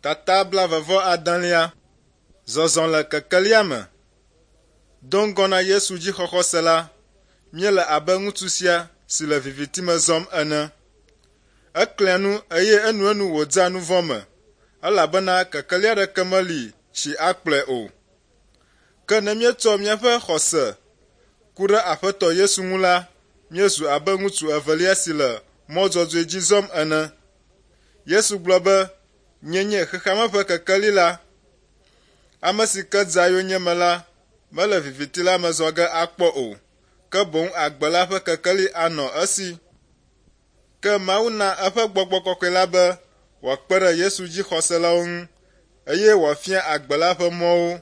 Tata blaeve-vɔ-adelia. Zɔzɔ le kekelia me. Do ŋgɔ na Yesu dzixɔxɔse la, míele abe ŋutsu sia si le viviti me zɔm ene. Eklia nu eye enuenu wòdea nu vɔ̃ me elabena kekeli aɖeke meli si akplɔe o. Ke ne míetsɔ míaƒe xɔse ku ɖe Aƒetɔ Yesu ŋu la, míezu abe ŋutsu evelia si le mɔ dzɔdzɔe dzi zɔm ene. Yesu gblɔ be, Nye nye xexeame ƒe kekeli la. Ame si ke dzea yonyeme la mele viviti la me zɔ ge akpɔ o, ke boŋ agbe la ƒe kekeli anɔ esi. Ke Mawu na eƒe Gbɔgbɔ Kɔkɔe la be wòakpe ɖe Yesu dzixɔselawo ŋu eye wòafia agbe la ƒe mɔwo.